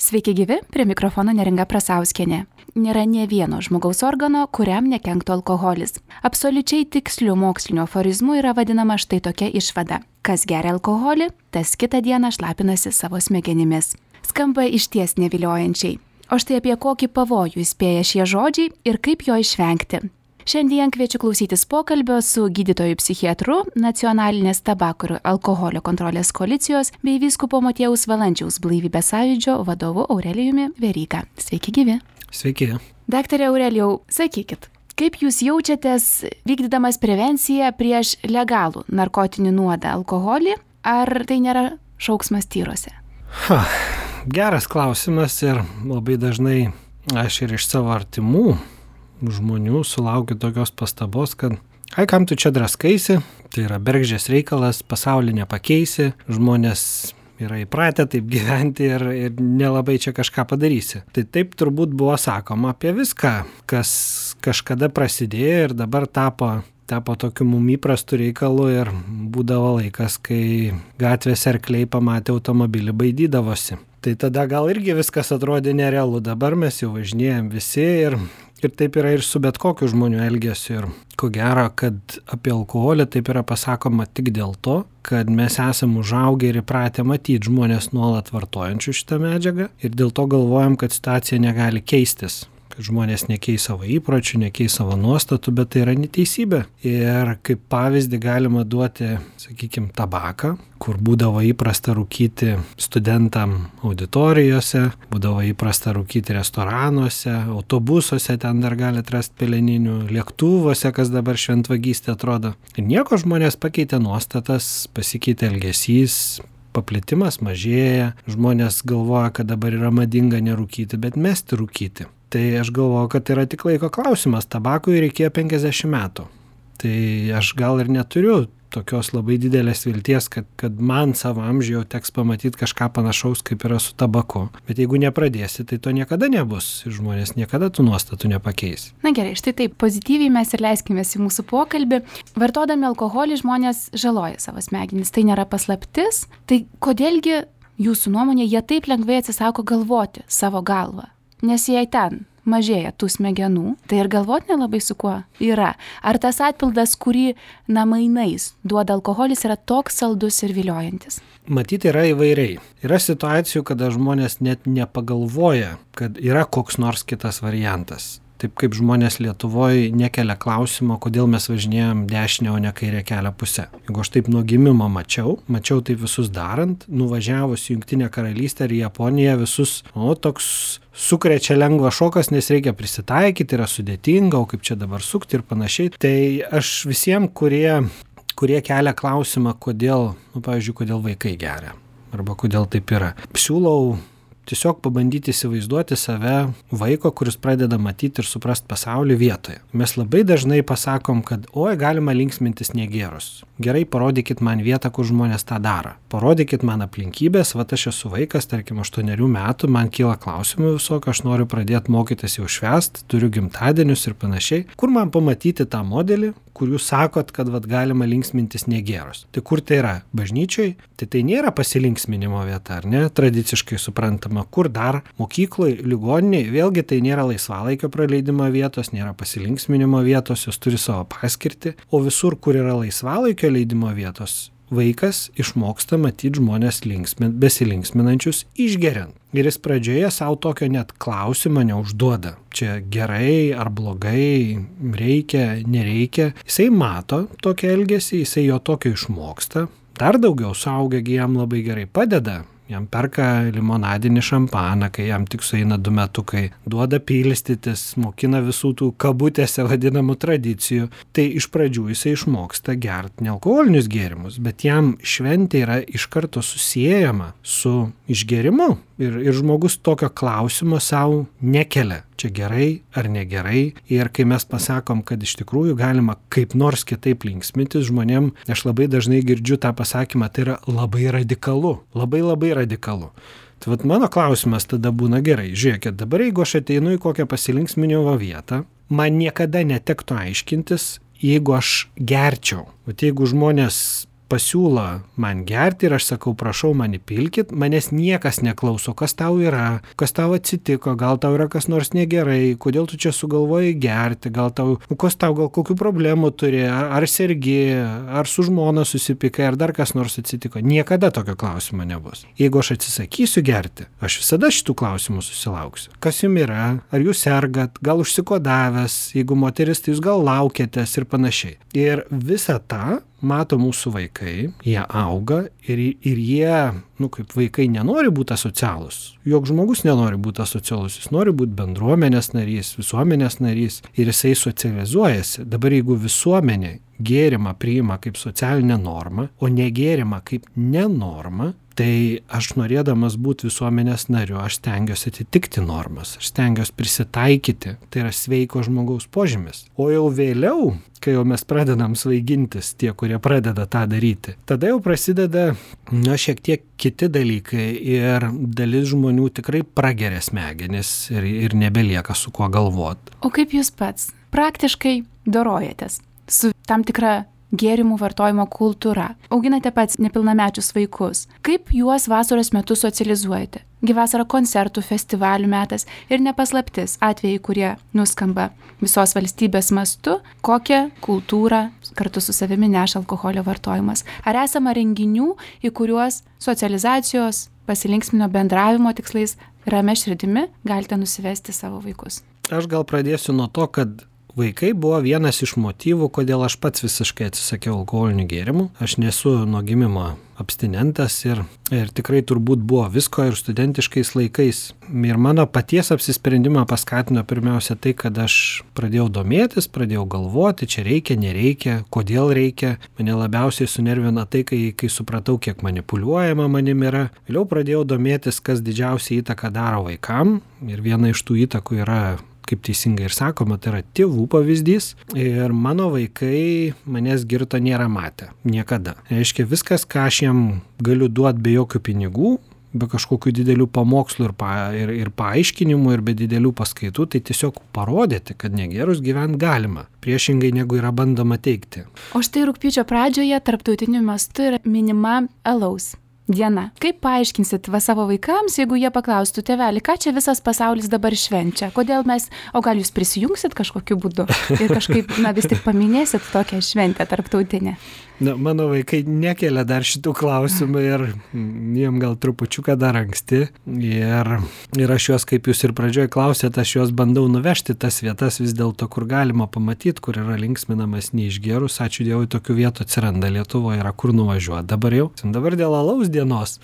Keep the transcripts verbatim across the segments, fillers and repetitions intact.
Sveiki gyvi, prie mikrofono Neringa Prasauskienė. Nėra nė vieno žmogaus organo, kuriam nekenktų alkoholis. Absoliučiai tikslių mokslinių aforizmų yra vadinama štai tokia išvada. Kas geria alkoholį, tas kitą dieną šlapinasi savo smegenimis. Skamba išties neviliojančiai. O štai apie kokį pavojų įspėja šie žodžiai ir kaip jo išvengti. Šiandien kviečiu klausytis pokalbio su gydytoju psichiatru, Nacionalinės tabako ir alkoholio kontrolės koalicijos bei vyskupo Motiejaus Valančiaus blaivybės sąjūdžio vadovu Aurelijumi Veryga. Sveiki gyvi. Sveiki. Daktare Aurelijau, sakykit, kaip jūs jaučiatės vykdydamas prevenciją prieš legalų narkotinį nuodą alkoholį, ar tai nėra šauksmas tyrose? Ha, geras klausimas ir labai dažnai aš ir iš savo artimų žmonių sulaukiu tokios pastabos, kad ai, kam tu čia draskaisi, tai yra bergždžias reikalas, pasaulį nepakeisi, žmonės yra įpratę taip gyventi ir, ir nelabai čia kažką padarysi. Tai taip turbūt buvo sakoma apie viską, kas kažkada prasidėjo ir dabar tapo, tapo tokiu mum įprastu reikalu ir būdavo laikas, kai gatvės arkliai pamatė automobilį baidydavosi. Tai tada gal irgi viskas atrodė nerealu, dabar mes jau važinėjom visi ir Ir taip yra ir su bet kokiu žmonių elgesiu. Ir ko gero, kad apie alkoholį taip yra pasakoma tik dėl to, kad mes esame užaugę ir įpratę matyti žmonės nuolat vartojančių šitą medžiagą ir dėl to galvojam, kad situacija negali keistis. Kad žmonės nekeis savo įpročių, nekeis savo nuostatų, bet tai yra neteisybė. Ir kaip pavyzdį galima duoti, sakykime, tabaką, kur būdavo įprasta rūkyti studentam auditorijose, būdavo įprasta rūkyti restoranuose, autobusuose, ten dar gali atrasti peleninių, lėktuvuose, kas dabar šventvagystė atrodo. Ir nieko žmonės pakeitė nuostatas, pasikeitė elgesys, paplitimas mažėja, žmonės galvoja, kad dabar yra madinga nerūkyti, bet mesti rūkyti. Tai aš galvoju, kad tai yra tik laiko klausimas, tabakui reikėjo penkiasdešimt metų. Tai aš gal ir neturiu tokios labai didelės vilties, kad, kad man savo amžiuje jau teks pamatyti kažką panašaus, kaip yra su tabaku. Bet jeigu nepradėsi, tai to niekada nebus. Žmonės niekada tų nuostatų nepakeis. Na gerai, štai taip, pozityviai mes ir leiskimės į mūsų pokalbį. Vartodami alkoholį žmonės žaloja savo smegenis. Tai nėra paslaptis. Tai kodėlgi jūsų nuomonė jie taip lengvai atsisako galvoti savo galvą? Nes jei ten mažėja tų smegenų, tai ir galvot nelabai su kuo yra. Ar tas atpildas, kurį na mainais duoda alkoholis, yra toks saldus ir viliojantis? Matyti yra įvairiai. Yra situacijų, kada žmonės net nepagalvoja, kad yra koks nors kitas variantas. Taip kaip žmonės Lietuvoje nekelia klausimo, kodėl mes važinėjom dešinę, o ne kairę kelio pusę. Jeigu aš taip nuo gimimo mačiau, mačiau taip visus darant, nuvažiavus į Jungtinę karalystę ir Japoniją visus, o toks sukrečia lengvas šokas, nes reikia prisitaikyti, yra sudėtinga, o kaip čia dabar sukti ir panašiai. Tai aš visiems, kurie, kurie kelia klausimą, kodėl, nu, pavyzdžiui, kodėl vaikai geria, arba kodėl taip yra, siūlau tiesiog pabandyti įsivaizduoti save vaiko, kuris pradeda matyti ir suprasti pasaulį vietoje. Mes labai dažnai pasakom, kad oi, galima linksmintis negėrus. Gerai, parodykit man vietą, kur žmonės tą daro. Parodykit man aplinkybės, va aš esu vaikas, tarkim, aštuonerių metų, man kyla klausimų visokio, aš noriu pradėti mokytis jau švęst, turiu gimtadienius ir panašiai. Kur man pamatyti tą modelį, kur jūs sakot, kad vat, galima linksmintis negėrus. Tai kur tai yra? Bažnyčiai? Tai tai nėra pasilinksminimo vieta, ar ne? Tradiciškai suprantama. Kur dar? Mokykloje, ligoninėje? Vėlgi tai nėra laisvalaikio praleidimo vietos, nėra pasilinksminimo vietos, jos turi savo paskirtį. O visur, kur yra laisvalaikio leidimo vietos, vaikas išmoksta matyti žmonės linksmin, besilinksminančius išgeriant. Ir jis pradžioje savo tokio net klausimo neužduoda. Čia gerai ar blogai, reikia, nereikia. Jisai mato tokią elgesį, jisai jo tokio išmoksta. Dar daugiau suaugę jam labai gerai padeda. Jam perka limonadinį šampaną, kai jam tik sueina du metukai, duoda pilstytis, mokina visų tų kabutėse vadinamų tradicijų. Tai iš pradžių jisai išmoksta gerti nealkoholinius gėrimus, bet jam šventė yra iš karto susiejama su išgėrimu. Ir, ir žmogus tokio klausimo savo nekelia, čia gerai ar negerai. Ir kai mes pasakom, kad iš tikrųjų galima kaip nors kitaip linksmintis žmonėm, aš labai dažnai girdžiu tą pasakymą, tai yra labai radikalu, labai labai radikalu. Tai vat mano klausimas tada būna gerai, žiūrėkit, dabar jeigu aš ateinu į kokią pasilinksminimo vietą, man niekada netektų aiškintis, jeigu aš gerčiau. Vat jeigu žmonės pasiūlo man gerti ir aš sakau, prašau mane pilkit, manęs niekas neklauso, kas tau yra, kas tau atsitiko, gal tau yra kas nors negerai, kodėl tu čia sugalvojai gerti, gal tau, kas tau, gal kokių problemų turi, ar, ar sergi, ar su žmona susipykai, ar dar kas nors atsitiko. Niekada tokio klausimo nebus. Jeigu aš atsisakysiu gerti, aš visada šitų klausimų susilauksiu. Kas jums yra, ar jūs sergat, gal užsikodavęs, jeigu moteris, tai jūs gal laukiatės ir panašiai. Ir visą tą mato mūsų vaikai, jie auga ir, ir jie, nu kaip vaikai, nenori būti asocialus. Jok žmogus nenori būti asocialus, jis nori būti bendruomenės narys, visuomenės narys ir jisai socializuojasi. Dabar jeigu visuomenė gėrimą priima kaip socialinę normą, o negėrimą kaip nenormą, tai aš norėdamas būti visuomenės nariu, aš stengiuosi atitikti normas, aš stengiuosi prisitaikyti, tai yra sveiko žmogaus požymis. O jau vėliau, kai jau mes pradedam svaigintis, tie, kurie pradeda tą daryti, tada jau prasideda, na, šiek tiek kiti dalykai ir dalis žmonių tikrai prageria smegenis ir, ir nebelieka su kuo galvoti. O kaip jūs pats praktiškai dorojatės su tam tikra gėrimų vartojimo kultūra? Auginate pats nepilnamečius vaikus. Kaip juos vasaros metu socializuojate? Gi vasara koncertų, festivalių metas ir nepaslaptis atvejai, kurie nuskamba visos valstybės mastu, kokią kultūrą kartu su savimi neša alkoholio vartojimas. Ar esama renginių, į kuriuos socializacijos, pasilinksminio bendravimo tikslais ramia širdimi galite nusivesti savo vaikus? Aš gal pradėsiu nuo to, kad vaikai buvo vienas iš motyvų, kodėl aš pats visiškai atsisakiau alkoholinių gėrimų. Aš nesu nuo gimimo abstinentas ir, ir tikrai turbūt buvo visko ir studentiškais laikais. Ir mano paties apsisprendimą paskatino pirmiausia tai, kad aš pradėjau domėtis, pradėjau galvoti, čia reikia, nereikia, kodėl reikia. Mane labiausiai sunervina tai, kai, kai supratau, kiek manipuliuojama manim yra. Vėliau pradėjau domėtis, kas didžiausią įtaką daro vaikam. Ir viena iš tų įtakų yra, kaip teisingai ir sakoma, tai yra tėvų pavyzdys ir mano vaikai manęs girto nėra matę. Niekada. Reiškia, viskas, ką aš jam galiu duoti be jokių pinigų, be kažkokių didelių pamokslų ir, pa, ir, ir paaiškinimų ir be didelių paskaitų, tai tiesiog parodyti, kad negerus gyventi galima. Priešingai negu yra bandoma teikti. O štai rugpjūčio pradžioje tarptautiniu mastu yra minima alaus diena. Kaip paaiškinsit va savo vaikams, jeigu jie paklaustų, tėveli, ką čia visas pasaulis dabar švenčia? Kodėl mes, o gal jūs prisijungsit kažkokiu būdu ir kažkaip, na, vis tik paminėsit tokią šventę tarptautinę? Na, mano vaikai nekelia dar šitų klausimų ir jiem gal trupučiuką dar anksti. Ir, ir aš juos, kaip jūs ir pradžioje klausėte, aš juos bandau nuvežti tas vietas vis dėlto, kur galima pamatyti, kur yra linksminamas neišgerus. Ačiū Dievui, tokių vietų atsiranda Lietuvoje, yra kur nuvažiuoti dabar jau. Dabar dėl alaus dienos.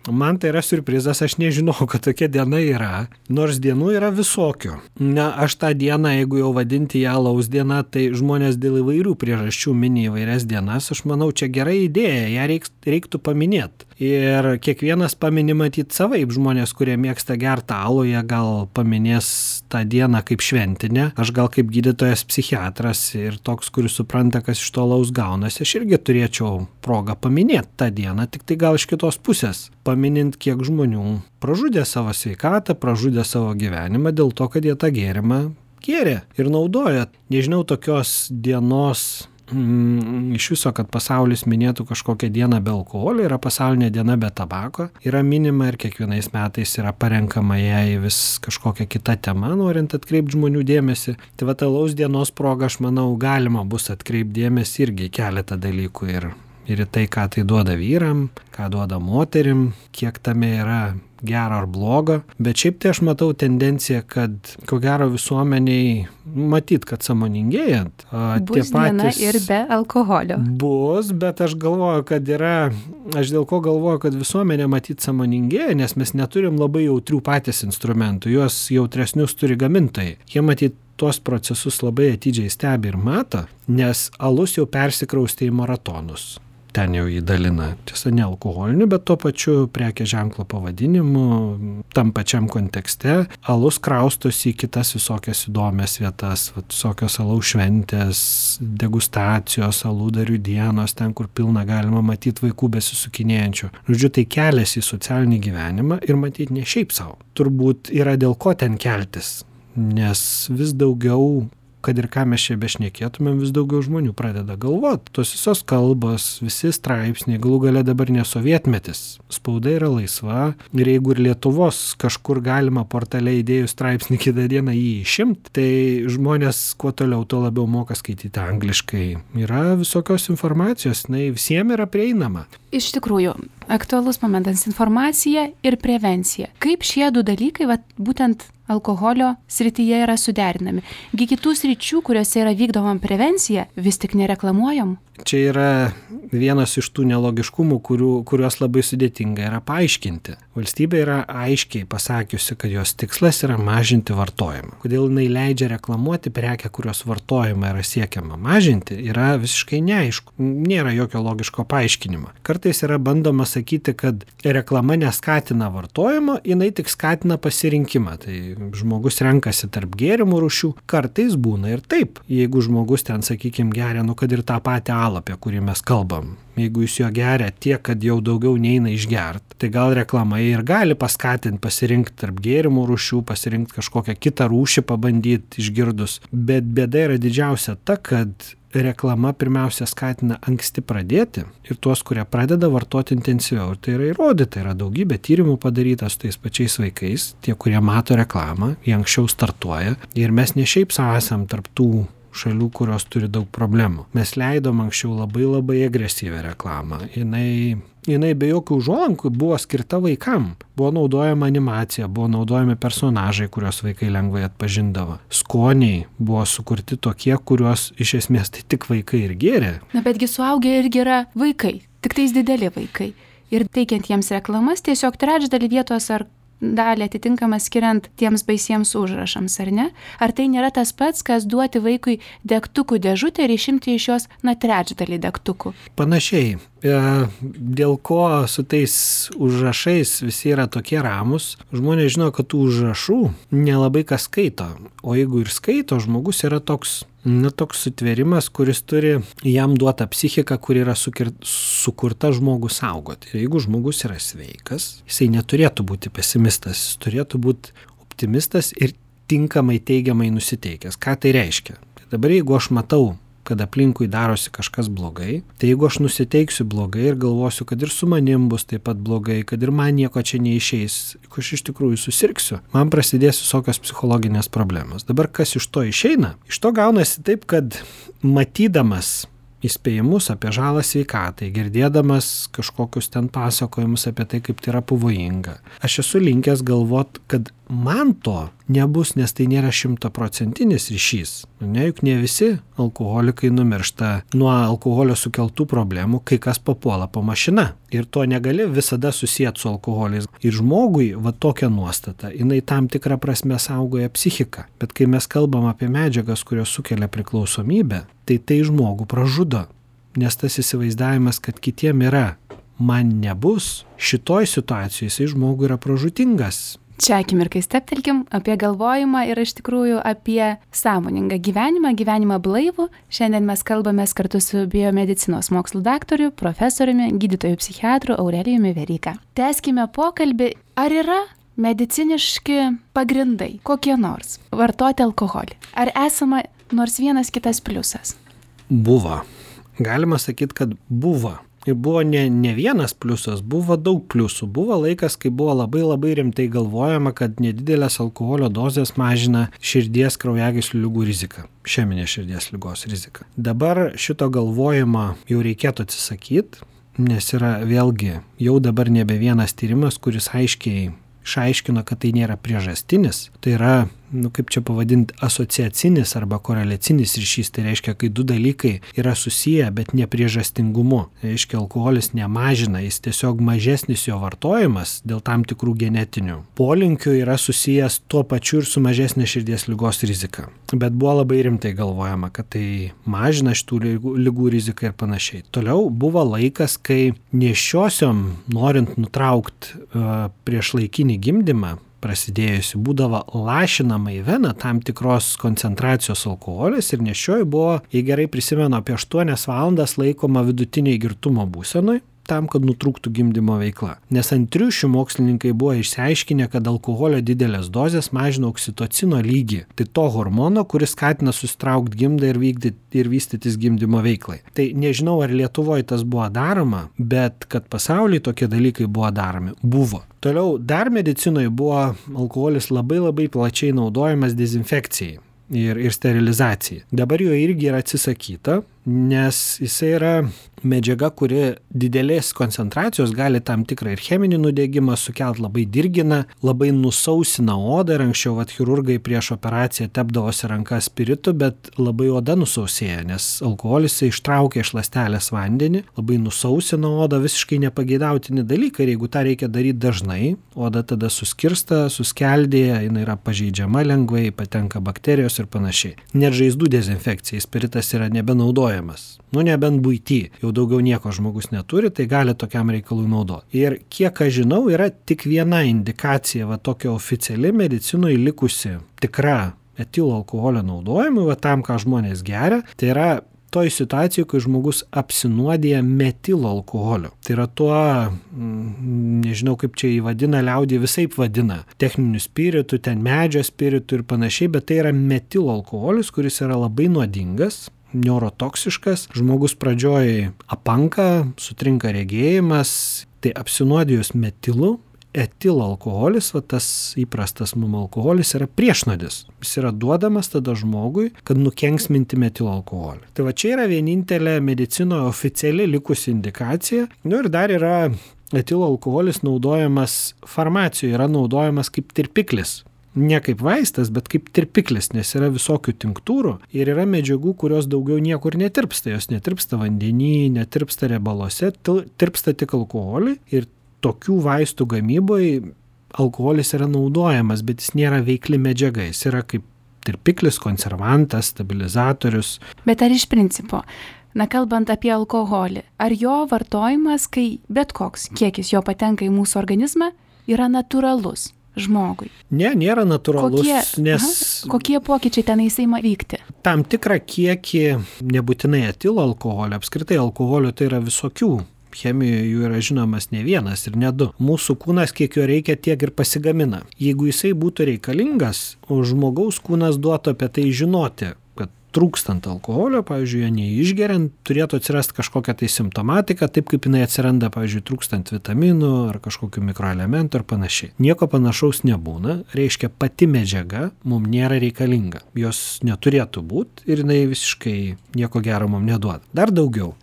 Man tai yra siurprizas, aš nežinau, kad tokia diena yra, nors dienų yra visokių. Na, aš tą dieną, jeigu jau vadinti ją alaus diena, tai žmonės dėl įvairių priežasčių mini įvairias dienas, aš manau, čia gera idėja, ją reik, reiktų paminėti. Ir kiekvienas paminė matyti savaip, žmonės, kurie mėgsta gerti alų, jie gal paminės tą dieną kaip šventinę, aš gal kaip gydytojas psichiatras ir toks, kuris supranta, kas iš to alaus gaunasi, aš irgi turėčiau progą paminėti tą dieną, tik tai gal iš kitos pusės. Paminint, kiek žmonių pražudė savo sveikatą, pražudė savo gyvenimą dėl to, kad jie tą gėrimą gėrė ir naudoja. Nežinau tokios dienos mm, iš viso, kad pasaulis minėtų kažkokią dieną be alkoholio, yra pasaulinė diena be tabako, yra minima ir kiekvienais metais yra parenkama jai vis kažkokia kita tema, norint atkreipti žmonių dėmesį. Tai va, alaus dienos proga, aš manau, galima bus atkreipti dėmesį irgi keletą dalykų ir ir į tai, ką tai duoda vyram, ką duoda moterim, kiek tame yra gero ar blogo. Bet šiaip tai aš matau tendenciją, kad ko gero visuomeniai matyt, kad sąmoningėjant. Bus diena ir be alkoholio. Bus, bet aš galvoju, kad yra, aš dėl ko galvoju, kad visuomenė matyt sąmoningėja, nes mes neturim labai jautrių patys instrumentų, juos jautresnius turi gamintojai. Jie matyt tuos procesus labai atidžiai stebi ir mato, nes alus jau persikraustė į maratonus. Ten jau jį dalina, tiesa, ne alkoholiniu, bet tuo pačiu prekės ženklo pavadinimu, tam pačiam kontekste. Alus kraustosi į kitas visokias įdomias vietas, visokios alaus šventės, degustacijos, aludarių dienos, ten, kur pilna galima matyti vaikų besisukinėjančių. Žodžiu, tai keliasi į socialinį gyvenimą ir matyti ne šiaip savo. Turbūt yra dėl ko ten keltis, nes vis daugiau kad ir ką mes čia bešnekėtumėm, vis daugiau žmonių pradeda galvoti. Tos visos kalbos, visi straipsniai, galų gale dabar nesovietmetis. Spauda yra laisva ir jeigu ir Lietuvos kažkur galima portale įdėjus straipsnį kitą dieną jį išimti, tai žmonės kuo toliau, tuo labiau moka skaityti angliškai. Yra visokios informacijos, jinai visiems yra prieinama. Iš tikrųjų, aktualus momentas - informacija ir prevencija. Kaip šie du dalykai, vat, būtent alkoholio srityje yra suderinami? Gi kitų sričių, kuriuose yra vykdoma prevencija, vis tik nereklamuojam. Čia yra vienas iš tų nelogiškumų, kurių, kuriuos labai sudėtinga yra paaiškinti. Valstybė yra aiškiai pasakiusi, kad jos tikslas yra mažinti vartojimą. Kodėl jinai leidžia reklamuoti prekę, kurios vartojimą yra siekiama mažinti, yra visiškai neaišku. Nėra jokio logiško paaiškinimo. Kartais yra bandoma sakyti, kad reklama neskatina vartojimo, jinai tik skatina pasirinkimą. Tai žmogus renkasi tarp gėrimų rūšių. Kartais būna ir taip. Jeigu žmogus ten, sakykime, geria, nu kad ir tą patį alą, apie kurį mes kalbam. Jeigu jis jo geria tiek, kad jau daugiau neina išgert, tai gal reklama ir gali paskatinti pasirinkti tarp gėrimų rūšių, pasirinkti kažkokią kitą rūšį, pabandyti išgirdus. Bet bėda yra didžiausia ta, kad reklama pirmiausia skatina anksti pradėti ir tuos, kurie pradeda vartoti intensyviau. Ir tai yra įrodyta, yra daugybė tyrimų padaryta su tais pačiais vaikais, tie, kurie mato reklamą, jie anksčiau startuoja ir mes ne šiaip savo esam tarp tų šalių, kurios turi daug problemų. Mes leidom anksčiau labai labai agresyvią reklamą. Jinai, jinai be jokių užuolankų buvo skirta vaikam. Buvo naudojama animacija, buvo naudojami personažai, kuriuos vaikai lengvai atpažindavo. Skoniai buvo sukurti tokie, kuriuos iš esmės tai tik vaikai ir gėrė. Na betgi suaugę irgi yra vaikai, tik tais dideli vaikai. Ir teikiant jiems reklamas tiesiog trečdalį vietos ar dalį atitinkamą skiriant tiems baisiems užrašams, ar ne? Ar tai nėra tas pats, kas duoti vaikui degtukų dėžutę ir išimti iš jos na trečdalį degtukų? Panašiai. Dėl ko su tais užrašais visi yra tokie ramus, žmonės žino, kad tų užrašų nelabai kas skaito. O jeigu ir skaito, žmogus yra toks, na, toks sutvėrimas, kuris turi jam duotą psichiką, kur yra sukir, sukurta žmogų saugoti. Ir jeigu žmogus yra sveikas, jisai neturėtų būti pesimistas, jis turėtų būti optimistas ir tinkamai teigiamai nusiteikęs. Ką tai reiškia? Tai dabar jeigu aš matau, kad aplinkui darosi kažkas blogai, tai jeigu aš nusiteiksiu blogai ir galvosiu, kad ir su manim bus taip pat blogai, kad ir man nieko čia neišeis, jeigu aš iš tikrųjų susirgsiu, man prasidės visokios psichologinės problemos. Dabar kas iš to išeina? Iš to gaunasi taip, kad matydamas įspėjimus apie žalą sveikatai, girdėdamas kažkokius ten pasakojimus apie tai, kaip tai yra pavojinga, aš esu linkęs galvot, kad man to nebus, nes tai nėra šimtaprocentinis ryšys. Ne, juk ne visi alkoholikai numiršta nuo alkoholio sukeltų problemų, kai kas papuola po mašina. Ir to negali visada susijęti su alkoholiais. Ir žmogui va tokia nuostata, jinai tam tikrą prasme saugoja psichiką. Bet kai mes kalbam apie medžiagas, kurios sukelia priklausomybę, tai tai žmogų pražudo. Nes tas įsivaizdavimas, kad kitiem yra, man nebus, šitoj situacijoje jisai žmogui yra pražutingas. Čia akimirkai steptelkim apie galvojimą ir iš tikrųjų apie sąmoningą gyvenimą, gyvenimą blaivų. Šiandien mes kalbamės kartu su biomedicinos mokslų daktoriu, profesoriumi, gydytoju psichiatru Aurelijumi Veryga. Tęskime pokalbį. Ar yra mediciniški pagrindai, kokie nors, vartoti alkoholį? Ar esama nors vienas kitas pliusas? Buvo. Galima sakyti, kad buvo. Ir buvo ne, ne vienas pliusas, buvo daug pliusų. Buvo laikas, kai buvo labai labai rimtai galvojama, kad nedidelės alkoholio dozės mažina širdies kraujagyslių ligų riziką, išeminės širdies ligos riziką. Dabar šito galvojimo jau reikėtų atsisakyti, nes yra vėlgi jau dabar nebe vienas tyrimas, kuris aiškiai išaiškino, kad tai nėra priežastinis. Tai yra, nu kaip čia pavadinti, asociacinis arba koreliacinis ryšys. Tai reiškia, kai du dalykai yra susiję, bet ne priežastingumu. Tai reiškia, alkoholis nemažina, jis tiesiog mažesnis jo vartojimas dėl tam tikrų genetinių polinkių yra susijęs tuo pačiu ir su mažesnė širdies ligos rizika. Bet buvo labai rimtai galvojama, kad tai mažina šitų ligų, ligų riziką ir panašiai. Toliau buvo laikas, kai nėščiosiom, norint nutraukti uh, priešlaikinį gimdymą, prasidėjusi, būdavo lašinama į veną tam tikros koncentracijos alkoholis ir nėščioji buvo, jei gerai prisimenu, apie aštuonias valandas laikoma vidutiniai girtumo būsenoj. tam, kad nutrūktų gimdymo veikla. Nes ant triušių mokslininkai buvo išsiaiškinę, kad alkoholio didelės dozės mažina oksitocino lygį. Tai to hormono, kuris skatina susitraukti gimdą ir, vykdyti, ir vystytis gimdymo veiklai. Tai nežinau, ar Lietuvoje tas buvo daroma, bet kad pasaulyje tokie dalykai buvo daromi. Buvo. Toliau dar medicinoje buvo alkoholis labai labai plačiai naudojamas dezinfekcijai ir, ir sterilizacijai. Dabar jo irgi yra atsisakyta, nes jisai yra medžiaga, kuri didelės koncentracijos gali tam tikrą ir cheminį nudegimą sukelt, labai dirgina, labai nusausina odą ir anksčiau vat, chirurgai prieš operaciją tepdavosi rankas spiritu, bet labai oda nusausėja, nes alkoholis ištraukia iš ląstelės vandenį, labai nusausina odą, visiškai nepageidautini dalykai ir jeigu tą reikia daryti dažnai, oda tada suskirsta, suskeldėja, jinai yra pažeidžiama lengvai, patenka bakterijos ir panašiai. Net žaizdų dezinfekcijai spiritas yra nebenaudojamas. Nu, nebent buity, jau daugiau nieko žmogus neturi, tai gali tokiam reikalui naudoti. Ir kiek aš žinau, yra tik viena indikacija, va tokia oficiali medicinoje likusi tikra etilo alkoholio naudojimui, va tam, ką žmonės geria, tai yra toj situacijoje, kai žmogus apsinuodija metilo alkoholiu. Tai yra tuo, nežinau kaip čia įvadina, liaudį visaip vadina, techniniu spiritu, ten medžio spiritu ir panašiai, bet tai yra metilo alkoholis, kuris yra labai nuodingas, neurotoksiškas, žmogus pradžioj apanka, sutrinka regėjimas, tai apsinuodijus metilu, etilo alkoholis, va tas įprastas mum alkoholis yra priešnuodis. Jis yra duodamas tada žmogui, kad nukenksminti metilo alkoholį. Tai va čia yra vienintelė medicinoje oficiali likusi indikacija. Nu ir dar yra etilo alkoholis naudojamas farmacijoje, yra naudojamas kaip tirpiklis. Ne kaip vaistas, bet kaip tirpiklis, nes yra visokių tinktūrų ir yra medžiagų, kurios daugiau niekur netirpsta. Jos netirpsta vandenį, netirpsta riebaluose, tirpsta tik alkoholį ir tokių vaistų gamyboje alkoholis yra naudojamas, bet jis nėra veikli medžiaga, jis yra kaip tirpiklis, konservantas, stabilizatorius. Bet ar iš principo, na kalbant apie alkoholį, ar jo vartojimas, kai bet koks kiekis jo patenka į mūsų organizmą, yra natūralus žmogui? Ne, nėra natūralus, kokie, nes... Aha, kokie pokyčiai tenais įma vykti? Tam tikrą kiekį, nebūtinai etilo alkoholio, apskritai alkoholio tai yra visokių. Chemijoje jų yra žinomas ne vienas ir ne du. Mūsų kūnas, kiek jo reikia, tiek ir pasigamina. Jeigu jisai būtų reikalingas, o žmogaus kūnas duotų apie tai žinoti, kad trūkstant alkoholio, pavyzdžiui, jo neišgeriant, turėtų atsirasti kažkokia tai simptomatika, taip kaip jinai atsiranda, pavyzdžiui, trūkstant vitaminų ar kažkokių mikroelementų ir panašiai. Nieko panašaus nebūna, reiškia pati medžiaga mums nėra reikalinga. Jos neturėtų būti ir jinai visiškai nieko gero mums neduoda. Dar daugiau,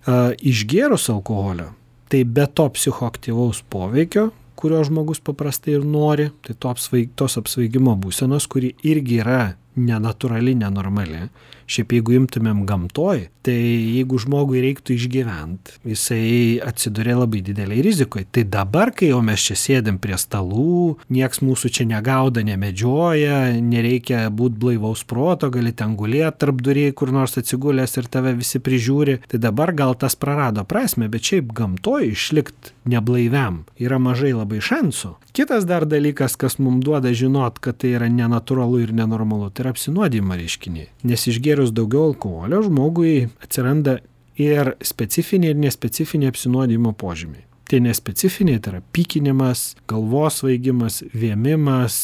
išgėrus alkoholio, tai be to psichoaktyvaus poveikio, kurio žmogus paprastai ir nori, tai to apsvaig, tos apsvaigimo būsenos, kuri irgi yra nenatūrali, nenormali. Šiaip jeigu imtumėm gamtoj, tai jeigu žmogui reiktų išgyventi, jisai atsiduria labai dideliai rizikoje. Tai dabar, kai jau mes čia sėdėm prie stalų, nieks mūsų čia negauda, nemedžioja, nereikia būti blaivaus proto, gali ten gulėti tarp durėjų, kur nors atsigulęs ir tave visi prižiūri, tai dabar gal tas prarado prasme, bet šiaip gamtoj išlikti neblaiviam yra mažai labai šansų. Kitas dar dalykas, kas mums duoda žinot, kad tai yra nenatūralu ir nenormalu, tai yra apsinuodijimo reiškiniai. Nes išgėrus daugiau alkoholio žmogui atsiranda ir specifiniai ir nespecifiniai apsinuodijimo požymiai. Tai nespecifiniai, tai yra pykinimas, galvos svaigimas, vėmimas,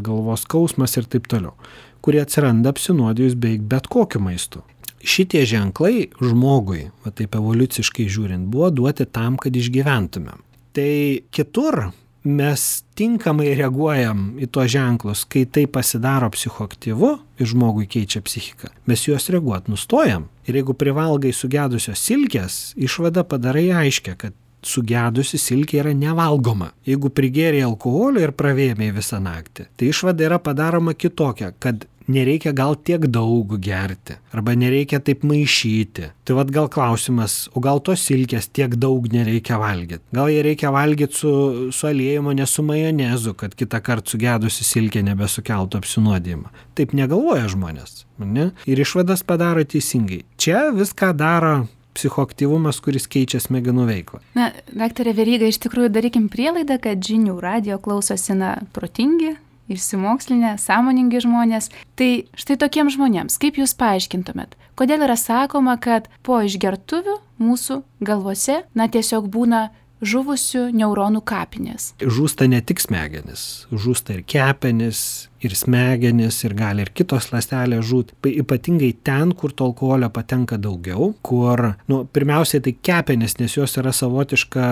galvos skausmas ir taip toliau, kurie atsiranda apsinuodijus beveik bet kokiu maistu. Šitie ženklai žmogui, va taip evoliuciškai žiūrint, buvo duoti tam, kad išgyventumėm. Tai kitur mes tinkamai reaguojam į tuos ženklus, kai tai pasidaro psichoaktyvu ir žmogui keičia psichiką. Mes juos reaguoti nustojam. Ir jeigu privalgai sugedusios silkės, išvada padarai aiškia, kad sugedusi silkė yra nevalgoma. Jeigu prigėrė alkoholio ir pravėmė visą naktį, tai išvada yra padaroma kitokia, kad nereikia gal tiek daug gerti, arba nereikia taip maišyti. Tai vad gal klausimas, o gal tos silkės tiek daug nereikia valgyti? Gal jie reikia valgyti su, su aliejimo, ne su majonezu, kad kitą kartą sugedusi silkė nebesukeltų apsinuodijimą. Taip negalvoja žmonės, ne? Ir išvadas padaro teisingai. Čia viską daro psichoaktyvumas, kuris keičia smegenų veiklą. Na, daktare Veryga, iš tikrųjų darykim prielaidą, kad žinių radijo klausosi na protingi, išsimokslinę, sąmoningi žmonės. Tai štai tokiems žmonėms, kaip jūs paaiškintumėt, Kodėl yra sakoma, kad po išgertuvių mūsų galvose, na, tiesiog būna žuvusių neuronų kapinės? Žūsta ne tik smegenis, žūsta ir kepenys, ir smegenis, ir gali ir kitos ląstelės žūt. Ypatingai ten, kur to alkoholio patenka daugiau, kur, nu, pirmiausiai tai kepenys, nes jos yra savotiška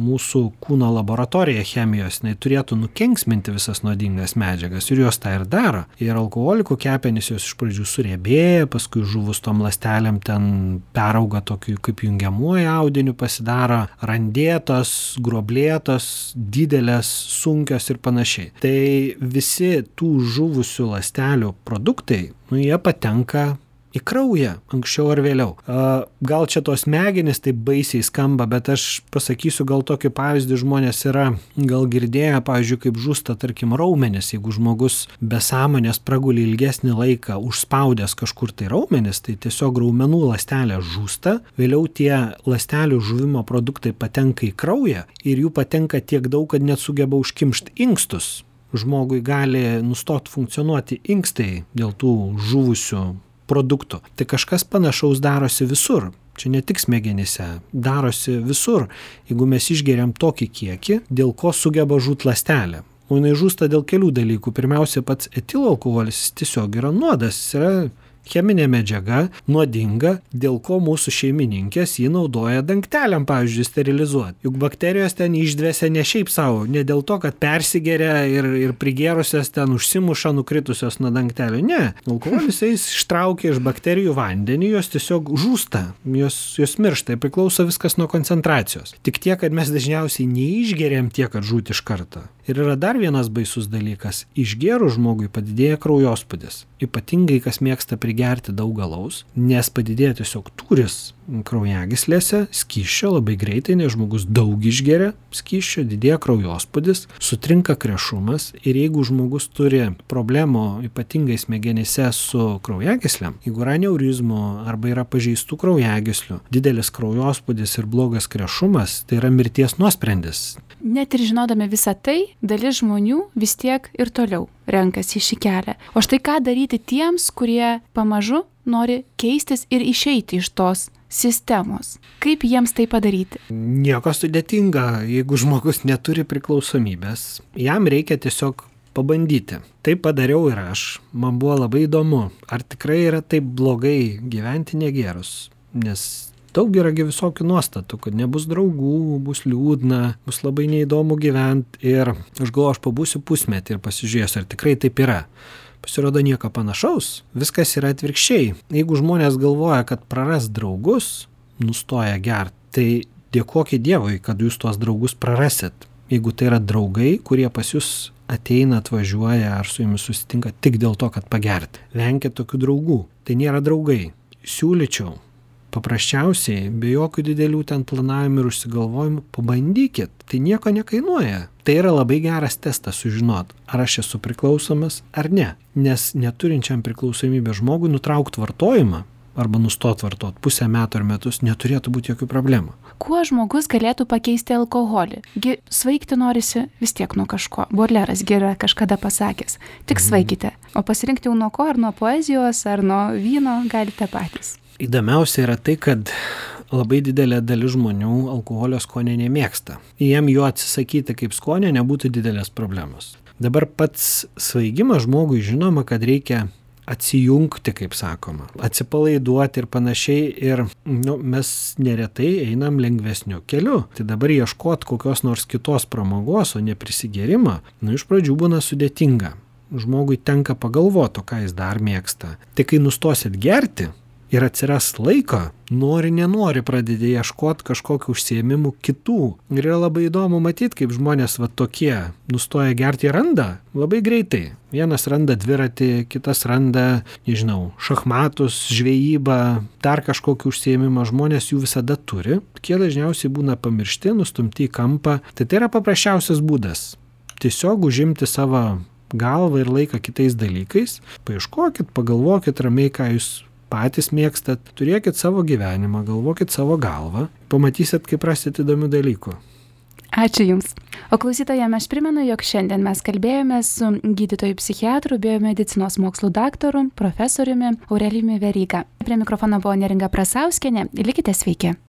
mūsų kūno laboratorija chemijos, jinai turėtų nukenksminti visas nuodingas medžiagas ir jos tą ir daro. Ir alkoholikų kepenys jos iš pradžių suriebėja, paskui žuvus tom ląstelėm ten perauga tokiu kaip jungiamuoju audiniu, pasidaro randėtos, gruoblėtos, didelės, sunkios ir panašiai. Tai visi tų žuvusių ląstelių produktai, nu, jie patenka į kraują anksčiau ar vėliau. Gal čia tos smegenys taip baisiai skamba, bet aš pasakysiu gal tokį pavyzdį, žmonės yra gal girdėję, pavyzdžiui, kaip žūsta, tarkim, raumenis. Jeigu žmogus be sąmonės praguli ilgesnį laiką užspaudęs kažkur tai raumenis, tai tiesiog raumenų ląstelė žūsta, vėliau tie ląstelių žuvimo produktai patenka į kraują ir jų patenka tiek daug, kad net sugeba užkimšti inkstus. Žmogui gali nustoti funkcionuoti inkstai dėl tų žuvusių produktų. Tai kažkas panašaus darosi visur. Čia ne tik smegenyse, darosi visur. Jeigu mes išgeriam tokį kiekį, dėl ko sugeba žūt ląstelė. O jinai žūsta dėl kelių dalykų. Pirmiausia, pats etilo alkoholis tiesiog yra nuodas, jis yra cheminė medžiaga, nuodinga, dėl ko mūsų šeimininkės jį naudoja dangteliam, pavyzdžiui, sterilizuoti. Juk bakterijos ten išdvesia ne šiaip savo, ne dėl to, kad persigeria ir, ir prigėrusios ten užsimuša nukritusios nuo dangtelio. Ne, alkoholis jis ištraukia iš bakterijų vandenį, jos tiesiog žūsta, jos, jos miršta, priklauso viskas nuo koncentracijos. Tik tiek, kad mes dažniausiai neišgeriam tiek, kad žūti iš karto. Ir yra dar vienas baisus dalykas. Išgėrus žmogui padidėja kraujospūdis. Ypatingai, kas mėgsta prigerti daug alaus, nes padidėja tiesiog tūris kraujagyslėse, skysčio labai greitai, nes žmogus daug išgeria skysčio, didėja kraujospūdis, sutrinka krešumas ir jeigu žmogus turi problemų ypatingai smegenyse su kraujagyslėm, jeigu yra aneurizmų arba yra pažeistų kraujagyslių, didelis kraujospūdis ir blogas krešumas, tai yra mirties nuosprendis. Net ir žinodami visą tai, dalis žmonių vis tiek ir toliau renkasi šį kelią. O štai ką daryti tiems, kurie pamažu nori keistis ir išeiti iš tos sistemos. Kaip jiems tai padaryti? Nieko sudėtinga, jeigu žmogus neturi priklausomybės, jam reikia tiesiog pabandyti. Tai padariau ir aš. Man buvo labai įdomu, ar tikrai yra taip blogai gyventi negėrus, nes daug yragi visokių nuostatų, kad nebus draugų, bus liūdna, bus labai neįdomu gyventi ir aš galvoju, aš pabūsiu pusmetį ir pasižiūrėsiu, ar tikrai taip yra. Pasirodo nieko panašaus, viskas yra atvirkščiai. Jeigu žmonės galvoja, kad praras draugus, nustoja gerti, tai dėkokit Dievui, kad jūs tuos draugus prarasit. Jeigu tai yra draugai, kurie pas jūs ateina, atvažiuoja ar su jumis susitinka tik dėl to, kad pagerti. Venkit tokių draugų, tai nėra draugai. Siūlyčiau paprasčiausiai, be jokių didelių ten planavimų ir užsigalvojimų, pabandykit, tai nieko nekainuoja. Tai yra labai geras testas sužinot, ar aš esu priklausomas ar ne. Nes neturinčiam priklausomybę žmogui nutraukti vartojimą arba nustot vartot pusę metų ar metus neturėtų būti jokių problemų. Kuo žmogus galėtų pakeisti alkoholį? Gi svaigti norisi vis tiek nuo kažko. Bodleras gi yra kažkada pasakęs. Tik svaikite. O pasirinkti jau nuo ko, ar nuo poezijos, ar nuo vyno galite patys. Įdomiausia yra tai, kad labai didelė dalis žmonių alkoholio skonio nemėgsta. Jiem jo atsisakyti kaip skonio nebūtų didelės problemos. Dabar pats svaigimas žmogui žinoma, kad reikia atsijungti, kaip sakoma, atsipalaiduoti ir panašiai. Ir nu, mes neretai einam lengvesniu keliu. Tai dabar ieškoti kokios nors kitos pramogos, o ne prisigėrimą, nu iš pradžių būna sudėtinga. Žmogui tenka pagalvoti, ką jis dar mėgsta. Tai kai nustosit gerti ir atsiras laiko, nori, nenori pradedi ieškoti kažkokių užsiėmimų kitų. Ir yra labai įdomu matyti, kaip žmonės va tokie nustoja gerti ir randa labai greitai. Vienas randa dviratį, kitas randa, nežinau, šachmatus, žvejybą, dar kažkokį užsiėmimą. Žmonės jų visada turi. Tie dažniausiai būna pamiršti, nustumti į kampą. Tai tai yra paprasčiausias būdas. Tiesiog užimti savo galvą ir laiką kitais dalykais. Paieškokit, pagalvokit ramiai, ką jūs patys mėgstat, turėkit savo gyvenimą, galvokit savo galvą, pamatysit, kaip rasit įdomių dalykų. Ačiū Jums. O klausytojams aš primenu, jog šiandien mes kalbėjome su gydytoju psichiatru, biomedicinos mokslų daktaru, profesoriumi Aurelijumi Veryga. Prie mikrofono buvo Neringa Prasauskienė. Likite sveiki.